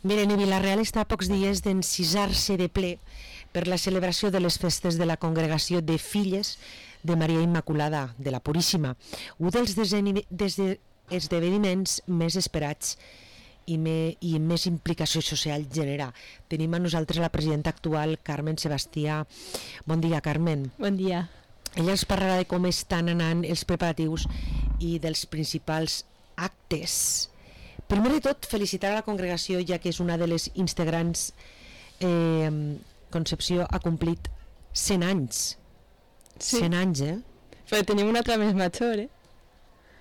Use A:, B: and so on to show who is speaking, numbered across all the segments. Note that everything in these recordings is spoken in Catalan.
A: Miren, Vila-real està a pocs dies d'encisar-se de ple per la celebració de les festes de la Congregació de Filles de Maria Immaculada de la Puríssima, un dels esdeveniments més esperats i més implicació social genera. Tenim a nosaltres la presidenta actual, Carmen Sebastià. Bon dia, Carmen.
B: Bon dia.
A: Ella ens parlarà de com estan anant els preparatius i dels principals actes. Primer de tot, felicitar a la congregació, ja que és una de les integrants. Concepció ha complit 100 anys.
B: Sí.
A: 100 anys,
B: Però tenim una altra més major,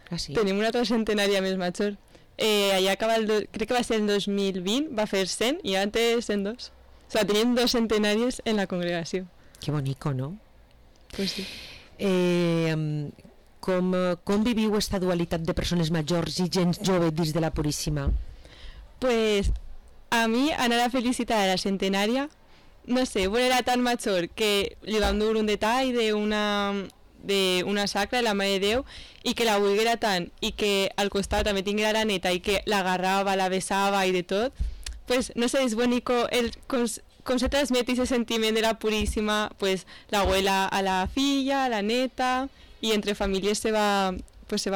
A: Ah, sí?
B: Tenim una altra centenària més major. Allà acaba crec que va ser el 2020, va fer 100 i ara té 102. O sigui, tenim 2 centenàries en la congregació.
A: Que bonico, no?
B: Pues sí.
A: Com viviu aquesta dualitat de persones majors i gent jove dins de la Puríssima?
B: Pues a mi anar a felicitar a la centenària, no sé, era tan major que li vam dur un detall d'una sacra de la Mare de Déu i que la volguera tant i que al costat també tinguera la neta i que l'agarrava, la besava i de tot, pues no sé, és bonico com se transmet ese sentiment de la Puríssima, pues la abuela a la filla, a la neta, i entre famílies se va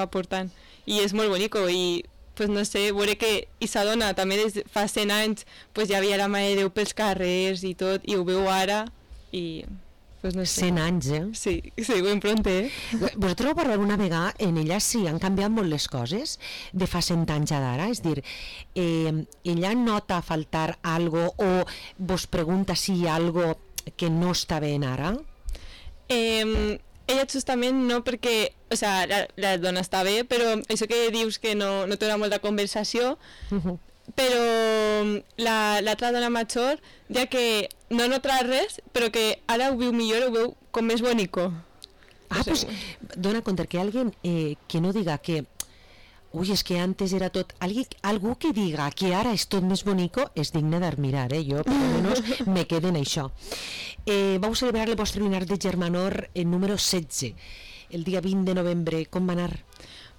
B: portant, i és molt bonico. I pues no sé, veure que Isadona també des fa 100 anys pues ja havia la Mare de Déu pels carrers i tot, i ho veu ara, i pues no sé.
A: 100 anys,
B: Sí, ben pronte,
A: Vosaltres heu parlat una vegada, en ella sí, han canviat molt les coses de fa 100 anys a d'ara, és dir, ella nota faltar algo o vos pregunta si hi ha algo que no està bé ara?
B: Ella justament no, perquè o sea, la dona està bé, però això que dius que no té una molta conversació, però l'altra dona major ja que no nota res, però que ara ho viu millor, ho veu com més bonico.
A: Pues dona compte que alguien que no diga que uy, es que antes era tot, algú que diga que ara és tot més bonico és digne d'admirar, jo per almenys me quedo en això. Vau celebrar el vostre dinar de Germanor número 16 el dia 20 de novembre, com va anar?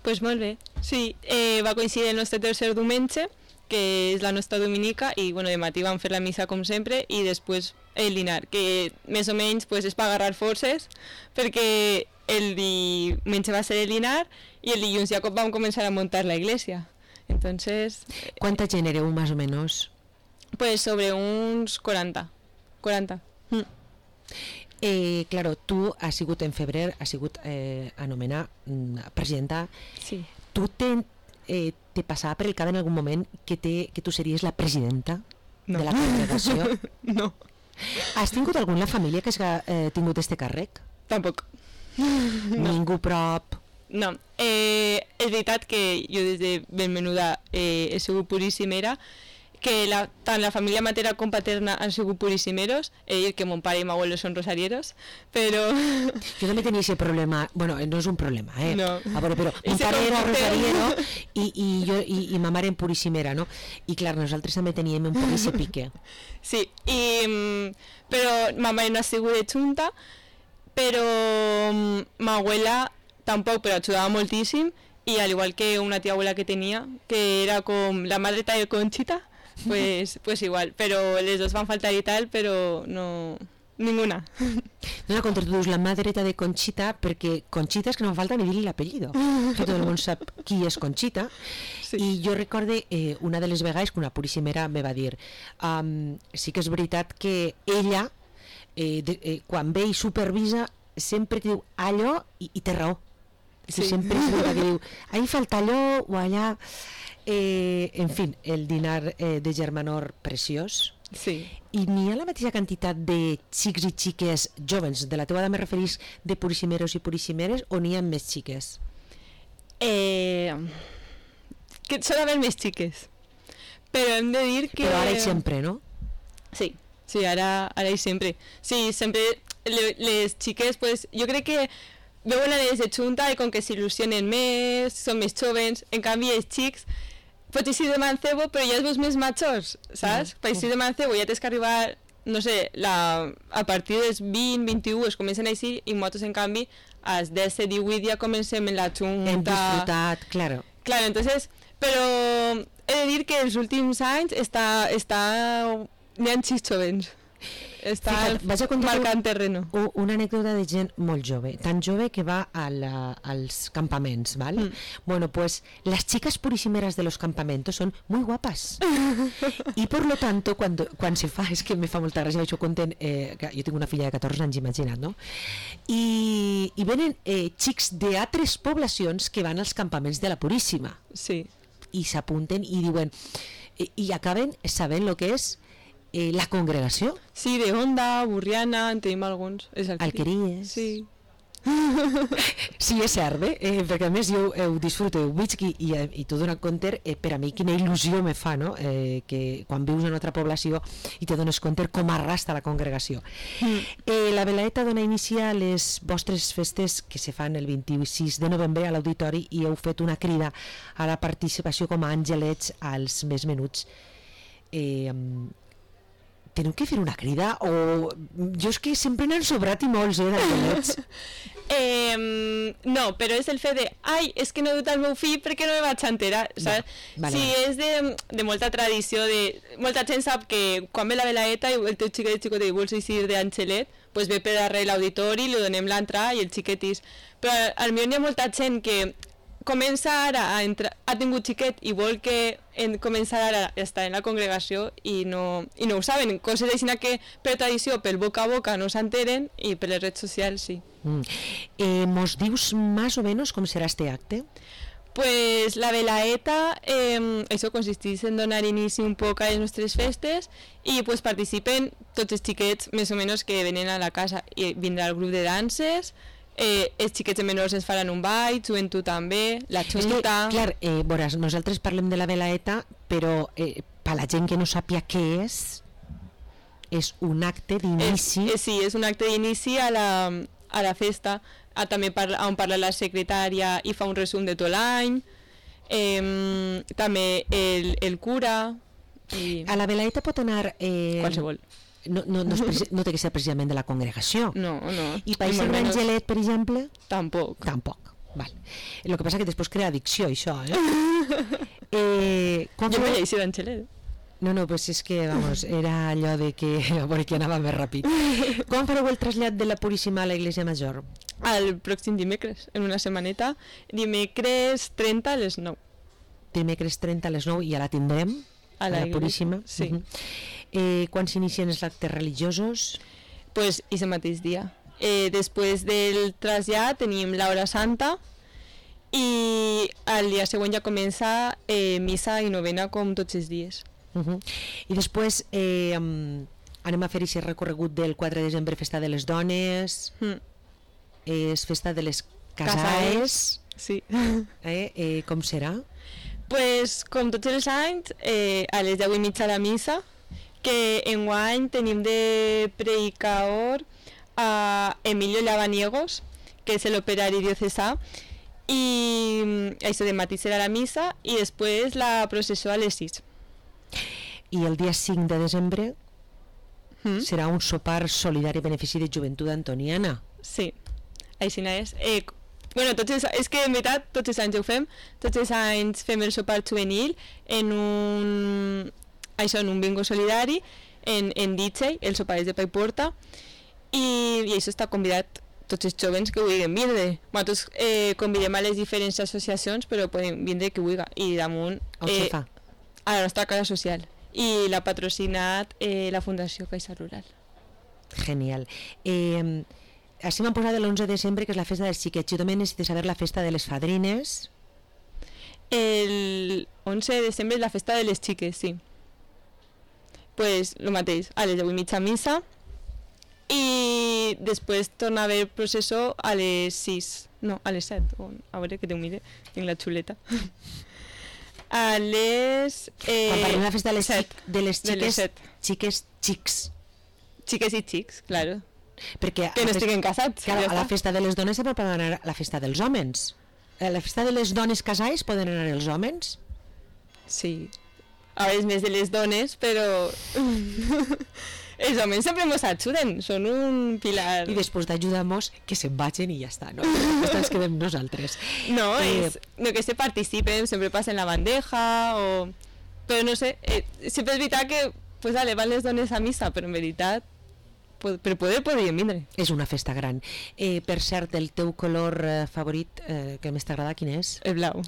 B: Pues molt bé, sí, va coincidir el nostre tercer diumenge, que és la nostra dominica, i bueno, de matí vam fer la missa com sempre i després el dinar, que més o menys pues, és per agarrar forces, perquè el diumenge va ser el dinar i el dilluns ja vam començar a muntar la iglesia. Entonces,
A: ¿Cuánta gent éreu, más o menos?
B: Pues sobre uns 40.
A: Claro, tu has sigut en febrer, has sigut anomenar presidenta.
B: Sí.
A: Tu te passava per el cap en algun moment que tu series la presidenta de la congregació?
B: No.
A: Has tingut algú en la família que hagi tingut este càrrec?
B: Tampoc.
A: Ningú prop?
B: No. És veritat que jo des de ben menuda he sigut puríssimera, que tant la família materna com paterna han sigut puríssimeros, que mon pare i mi abuelo són rosarieros, però...
A: Jo també tenia aquest problema, bueno, no és un problema,
B: No.
A: A veure, però mon pare era rosariero i ma mare en puríssimera, no? I clar, nosaltres també teníem un poc ese pique.
B: Sí, però ma mare no ha sigut de junta, però ma abuela tampoc, però ajudava moltíssim, i al igual que una tia abuela que tenia, que era com la mà dreta de Conchita, pues igual, però les dos van faltar i tal, però no... ninguna.
A: No la contra, tu dius la mà dreta de Conchita, perquè Conchita és que no fa falta ni dir-li l'apellido, que tot el món sap qui és Conchita. Sí. I jo recorde una de les vegades que una puríssimera me va dir sí que és veritat que ella quan ve i supervisa sempre diu allò i té raó. Sí. Sempre és veritat que diu ahí falta allò o allà. En fi, el dinar de Germanor preciós.
B: Sí.
A: I n'hi ha la mateixa quantitat de xics i xiques jovens, de la teva edat me referís de puríssimeros i puríssimeres, o n'hi ha més xiques?
B: Que són haver més xiques, però hem de dir que...
A: Però ara i sempre, no?
B: Sí, ara i sempre. Sí, sempre les xiques, pues, jo crec que veuen a les de junta i com que s'il·lusionen més, són més jovens, en canvi els xics pots eixir de mancebo però ja els veus més majors, saps? Per eixir de mancebo ja tens que arribar, no sé, a partir dels 20, 21 es comencen a eixir i nosaltres en canvi als 10, 18 ja comencem en la junta.
A: Hem disfrutat, claro.
B: Claro, entonces Però he de dir que els últims anys n'hi ha sis jovens.
A: Fíjate, vaig a contar
B: marcant terreno.
A: Una anècdota de gent molt jove, tan jove que va als campaments, ¿vale? Bueno, pues las chicas purísimeras de los campamentos son muy guapas. Y por lo tanto, quan se fa, és que me fa molta gràcia, això conten, que jo tinc una filla de 14 anys, imagina't, no? I venen xics d'altres poblacions que van als campaments de la Puríssima.
B: Sí.
A: I s'apunten i diuen, i acaben sabent el que és la congregació.
B: Sí, de Onda, Burriana, en tenim alguns.
A: Alqueries.
B: Sí.
A: Sí, és cert, perquè a més jo ho disfruto, ho veig i t'ho dono compte, per a mi quina il·lusió me fa, no? Que quan vius en una altra població i te dones compte com arrasta la congregació. La Velaeta dona inici a les vostres festes que se fan el 26 de novembre a l'auditori i heu fet una crida a la participació com a àngelets als més menuts. Teniu que fer una crida o jo és que sempre n'han sobrat i molts d'angelets.
B: No, però és el fet de és que no he dut el meu fill perquè no me vaig enterar, saps?
A: Vale.
B: Sí, és de molta tradició, molta gent sap que quan ve la Velaeta i el teu xiquet i vols eixir d'angelet, pues ve per darrere l'auditori, li donem l'entrada i el xiquetis. Però al millor hi ha molta gent que comença ara a entrar, ha tingut xiquet i vol que començar ara a estar en la congregació i no ho saben, coses així que per tradició, pel boca a boca no s'enteren i per les redes socials sí.
A: ¿Mos dius más o menos com serà este acte?
B: Pues la Velaeta, això consisteix en donar inici un poc a les nostres festes i pues participen tots els xiquets més o menys que venen a la casa i vindrà el grup de danses. Els xiquets menors ens faran un ball, joventut també, la xota...
A: Clar, veuràs, nosaltres parlem de la Velaeta, però per la gent que no sàpia què és un acte d'inici...
B: Sí, és un acte d'inici a la festa, també on parla la secretària i fa un resum de tot l'any, també el cura...
A: A la Velaeta pot anar...
B: Qualsevol.
A: No té que ser precisament de la congregació.
B: No.
A: I per ser un angelet, per exemple?
B: Tampoc.
A: Val. El que passa que després crea addicció, això,
B: Jo me lleixi d'angelet.
A: No, pues és que, vamos, era allò de que, a veure, que anava més ràpid. Quan fareu el trasllat de la Puríssima a l'Església Major?
B: El pròxim dimecres, en una setmaneta. Dimecres 30 a les 9.
A: Dimecres 30 a les 9 i ja la tindrem? A la Puríssima?
B: Sí.
A: Quan s'inicien els actes religiosos?
B: Pues aquest mateix dia. Després del trasllat tenim l'hora santa i el dia següent ja comença missa i novena com tots els dies.
A: I després anem a fer aquest recorregut del 4 de desembre, festa de les dones, és festa de les casaes.
B: Sí.
A: Com serà?
B: Pues, com tots els anys, a les 10:30 a la missa, que enguany tenim de predicador a Emilio Lavaniegos, que és l'operari diocesà, i això de matí serà la missa i després la processó a les 6.
A: I el dia 5 de desembre serà un sopar solidari a benefici de Joventut Antoniana.
B: Sí, així és. Bueno, és que en veritat tots els anys ho fem, tots els anys fem el sopar juvenil en un bingo solidari, en DJ, el sopar és de pa i porta, i això està convidat tots els jovens que vulguin vindre. Nosaltres convidem a les diferents associacions, però poden vindre qui vulgui, i damunt a la nostra casa social, i l'ha patrocinat la Fundació Caixa Rural.
A: Genial. Així m'han posat l'11 de desembre, que és la festa dels xiquets. Jo també necessito saber la festa de les fadrines.
B: El 11 de desembre és la festa de les xiques, sí. Pues el mateix, a les 10:30 missa i després torna a haver processó a les 6, no, a les 7, a veure que te ho mire, tinc la xuleta. A les...
A: Quan parlem de la festa de les xiques,
B: xiques i xics, claro.
A: Perquè
B: que no estiguen casats.
A: Claro, a la festa de les dones se pot anar a la festa dels homes. A la festa de les dones casades poden anar els homes?
B: Sí. A vegades més de les dones, però Els homes sempre ens ajuden, són un pilar.
A: I després d'ajudar-nos, que se'n vagin i ja està, no? Després ens quedem nosaltres.
B: No, no que se participen, sempre passen la bandeja, però no sé, sempre és veritat que pues, vale, van les dones a missa, però en veritat per poder podríem vindre.
A: És una festa gran. Per cert, el teu color favorit que més t'agrada, quin és?
B: El blau.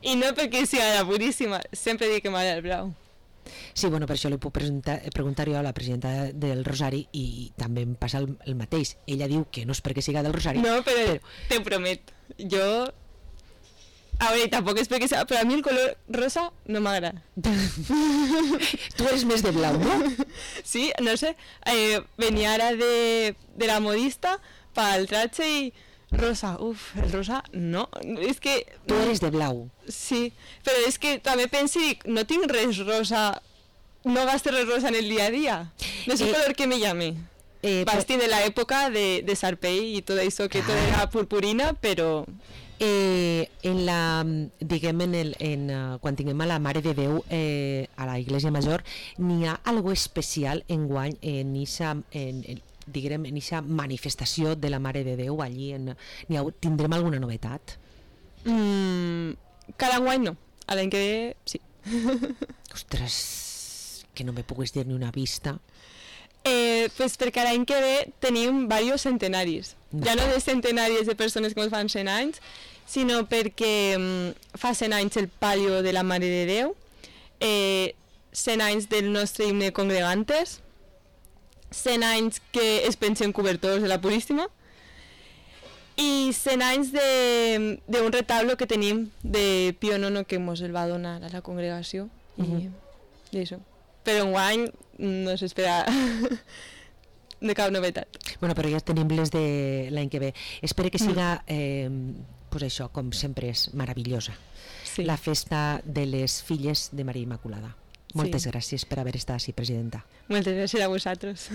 B: I no perquè sigui la puríssima, sempre dic que m'agrada el blau.
A: Sí, bueno, per això li puc preguntar jo a la presidenta del Rosari i també em passa el mateix. Ella diu que no és perquè siga del Rosari.
B: No, però te promet, jo... A veure, tampoc és perquè sigui... Però a mi el color rosa no m'agrada.
A: Tu eres més de blau, no?
B: Sí, no sé. Venia ara de la modista pel tratge i... Rosa, el rosa no, és que...
A: Tu eres de blau.
B: Sí, però és que també penso, no tinc res rosa, no gasto res rosa en el dia a dia. No és un color que me llame. Basti de l'època de Sarpei i tot això, que tot era purpurina, però...
A: Diguem, quan tinguem a la Mare de Déu a la Iglesia Major, n'hi ha algo especial enguany en aquesta manifestació de la Mare de Déu allí, tindrem alguna novetat?
B: Cada any no, a l'any que ve sí.
A: Ostres, que no me puguis dir ni una vista.
B: Pues perquè l'any que ve tenim diversos centenaris, ja no de centenaris de persones que ens fan 100 anys, sinó perquè fa 100 anys el palio de la Mare de Déu, 100 anys del nostre himne Congregantes, 100 anys que es pensen cobertors de la Puríssima i 100 anys d'un retablo que tenim de Pío IX que ens el va donar a la congregació i això. Però enguany no s'espera de cap novetat.
A: Bueno, però ja tenim les de l'any que ve. Espero que siga, pues això, com sempre és, meravellosa.
B: Sí.
A: La festa de les filles de Maria Immaculada. Moltes gràcies per haver estat així, presidenta.
B: Moltes gràcies a vosaltres.